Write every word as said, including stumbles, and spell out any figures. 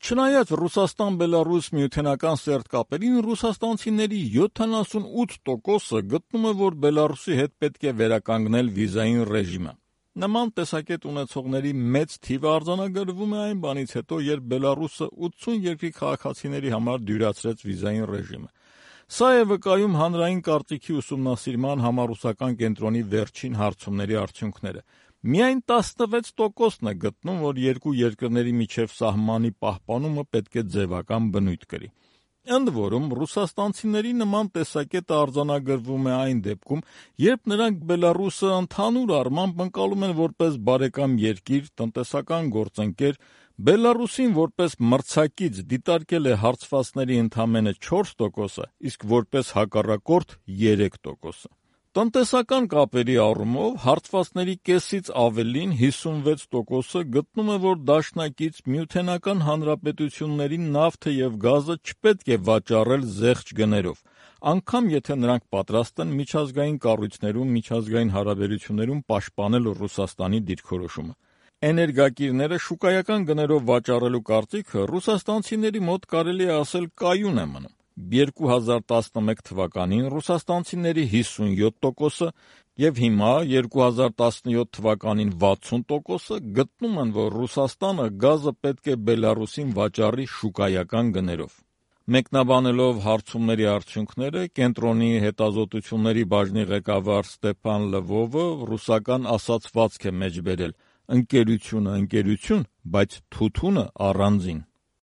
Չնայած Ռուսաստան-Բելարուս միութենական սերտ կապերին, ռուսաստանցիների յոթանասունութ տոկոսը գտնում է, որ Բելարուսի հետ պետք է վերականգնել վիզային ռեժիմը։ Նման տեսակետ ունեցողների մեծ թիվը արձանագրվում է այն բանից հետո, երբ Բելարուսը ութսուն երկրի քաղաքացիների համար դյուրացրեց վիզային ռեժիմը։ Սա է վկայում հանրային կարծիքի ուսումնասիրման համառուսական կենտրոնի վերջին հարցումների արդյունքները։ Միայն տասնվեց տոկոսն է գտնում, որ երկու երկրների միջև սահմանի պահպանումը պետք է ձևական բնույթ կրի։ Ընդ որում, ռուսաստանցիների նման տեսակետը արձանագրվում է այն դեպքում, երբ նրանք Բելարուսը ընդհանուր առմամբ ընկալում են որպես բարեկամ երկիր, տնտեսական գործընկեր, Բելարուսին որպես մրցակից դիտարկել է հարցվածների ընդամենը չորս տոկոսը, իսկ որպես հակառակորդ երեք տոկոսը։ Տնտեսական կապերի առումով հարցվածների կեսից ավելին հիսունվեց տոկոսը գտնում է, որ դաշնակից Միութենական Հանրապետություններին նավթը և գազը չպետք է վաճառել զեղչ գներով, անգամ եթե նրանք պատրաստ են միջազգային կառույցներում միջազգային հարաբերություններում պաշտպանել Ռուսաստանի դիրքորոշումը։ Էներգակիրները շուկայական գներով վաճառելու կարծիքը ռուսաստանցիների մոտ կարելի է ասել կայուն է մնում։ երկու հազար տասնմեկ թվականին ռուսաստանցիների հիսունյոթ տոկոսը և հիմա երկու հազար տասնյոթ թվականին վաթսուն տոկոսը գտնում են, որ Ռուսաստանը գազը պետք է Բելարուսին վաճառի շուկայական գներով։ Մեկնաբանելով հարցումների արդյունքները, կենտրոնի հետազոտությունների բաժնի ղեկավար Ստեփան Լվովը ռուսական ասացվածք է մեջբերել. «Ընկերությունը ընկերություն, բայց թութունը առանձին»։